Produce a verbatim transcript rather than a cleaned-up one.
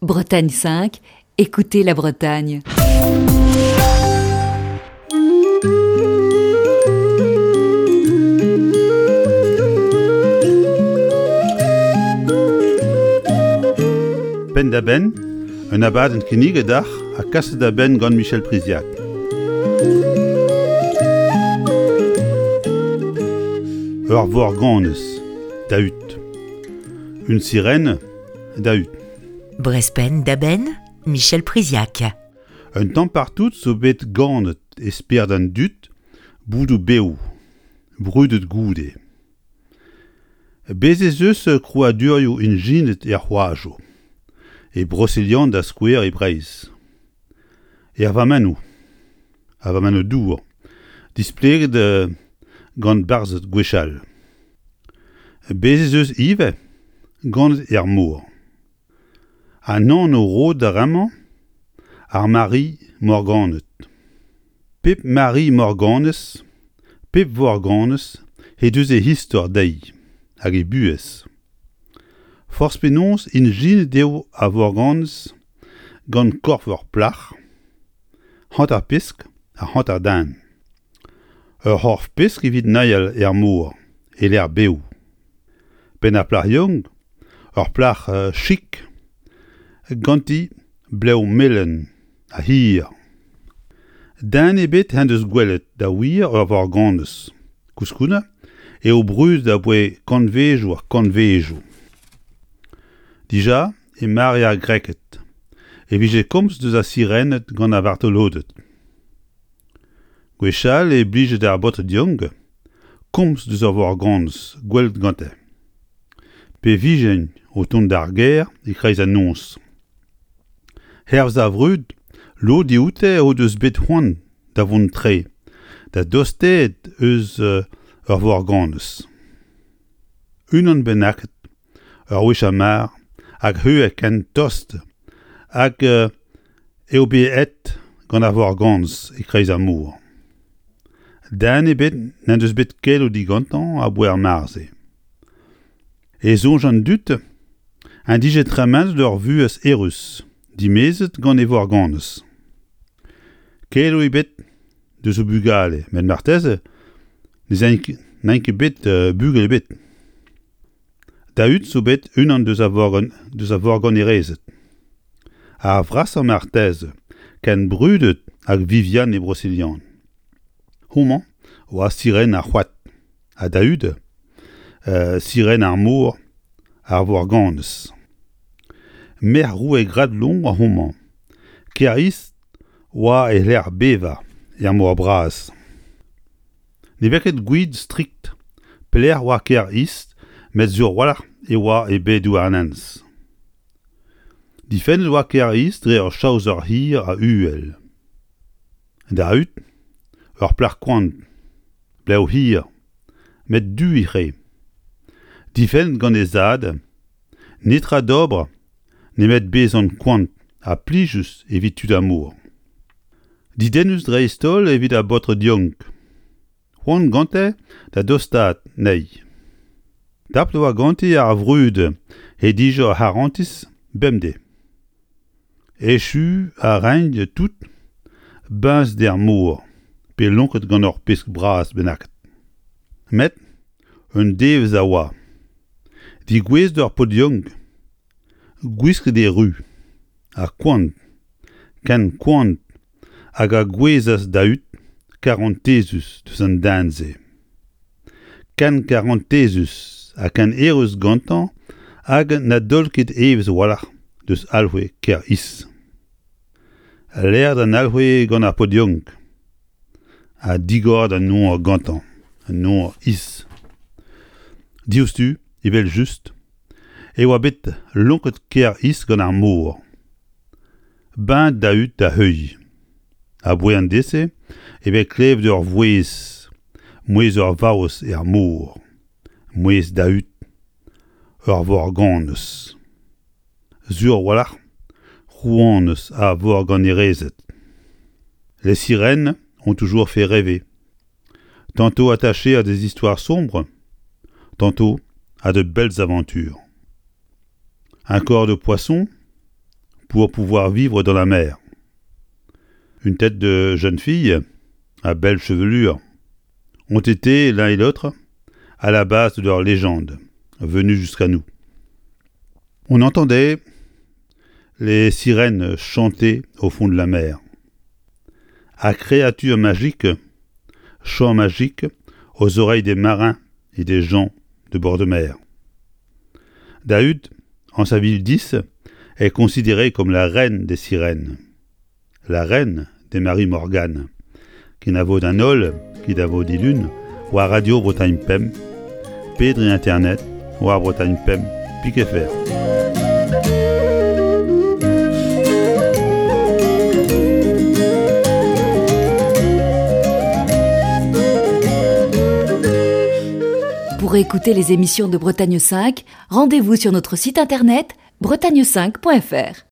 Bretagne cinq, écoutez la Bretagne. Penn-da-benn, un abadenn kinniget deoc'h ha kaset da benn gant Michel Priziac. Ur vorganez, Dahut. Une sirène, Dahut. Brezh Penn-da-Benn, Michel Priziac. Un tamm partout zo bet ganet e spered an dud boudoù bev, brudet goude. Bez' ez eus krouadurioù ijinet er c'hoajoù, e Broselian da skouer e Breizh. Er vammennoù, ar vammennoù dour, displeget gant barzhed gwechall. Bez' ez eus ivez ganet er mor. An anv roet d'ar re-mañ, ar Mari Morganed. Pep Mari Morganez, pep Vorganez he deus he istor dezhi hag he buhez. Forzh penaos ijinet eo ar Vorganez gant korf ur plac'h, hanter pesk ha hanter den. Ur c'horf pesk evit neuial er mor, e-lec'h bev. Penn ar plac'h yaouank, ur plac'h chik, ganti blev melen ha hir. Den ebet en deus gwelet da wir ur vorganez. Koulskoude eo brudet abaoe kantvedoù ha kantvedoù. Dija e mare ar Greked e vije komz deus ar sirened gant ar vartoloded. Gwechall e blije d'ar baotred yaouank komz deus ur vorganez gwelet gante. Pe vijent o tont d'ar gêr e-kreiz an noz. Hervez ar vrud, lod dioute o deus bet c'hoant da vont tre, da dostaat eus ur vorganez. Unan bennaket, ur wech ar mar, hag c'hwek ken tost hag eo bet aet gant ar vorganez e-kreiz ar mor. Den ebet n'en deus bet keloù digantañ aboae ar mare-se. E soñj an dud en dije tremenet ur vuhez eürus, dimezet gant e vorganez. Keloù ebet deus o bugale, met marteze n'int ket bet bugel ebet. Dahut zo bet unan deus ar vorgan, deus ar vorganerezed. Ar vrasañ marteze, ken brudet hag Viviane e Broselian. Homañ oa siren ar c'hoad, ha Dahut, euh, siren ar mor, ar vorganez. Merc'h roue Gradlon oa homañ. Kêr-Iz oa e lec'h bevañ er mor bras. Ne vez ket gouiet strikt pelec'h oa Kêr-Iz, met sur a-walc'h e oa e bae Douarnenez. Difennet oa Kêr-Iz dre ur chaoser hir ha uhel. Dahut, ur plac'h koant, blev hir, met du he c'hre. Difennet gant he zad, netra d'ober nemet bezañ koant ha plijus evit tud ar mor. Dedennus dreist-holl evit ar baotred yaouank. C'hoant gante da dostaat anezhi. Tapet oa ganti ar vrud he dije ur c'harantez bemdez. Echu a raent tout beñzet er mor pe lonket gant ur pesk bras bennaket. Met un devezh a oa. Degouezhet ur paotr yaouank, gwisket e ru, ha koant, ken koant hag a gouezhas Dahut karantezus deus an den-se. Ken karantezus ha ken eürus gantañ hag na daol ket evezh a-walc'h deus alc'hwez Kêr-Iz. Laeret an alc'hwez gant ar paotr yaouank ha digoret an nor gantañ, an nor Iz. Diouzhtu, evel-just, e oa bet lonket Kêr-Iz gant ar mor. Beñ Dahut da heuilh. Aboae an deiz-se e vez klevet ur vouezh, mouezh ur vaouez er mor, mouezh Dahut, ur vorganez. Sur a-walc'h, rouanez ar vorganerezed. Les sirènes ont toujours fait rêver. Tantôt attachées à des histoires sombres, tantôt à de belles aventures. Un corps de poisson, pour pouvoir vivre dans la mer. Une tête de jeune fille, à belle chevelure, ont été l'un et l'autre à la base de leur légende, venue jusqu'à nous. On entendait les sirènes chanter au fond de la mer. À créatures magiques, chants magiques aux oreilles des marins et des gens de bord de mer. Dahut, en sa ville dix, est considérée comme la reine des sirènes, la reine des Marie Morgane, qui n'a vaut d'un ol, qui n'a vaut lune, ou à Radio Bretagne Pem, Pedri Internet, ou à Bretagne Pem, Piquet Fer. Pour écouter les émissions de Bretagne cinq, rendez-vous sur notre site internet bretagne cinq point F R.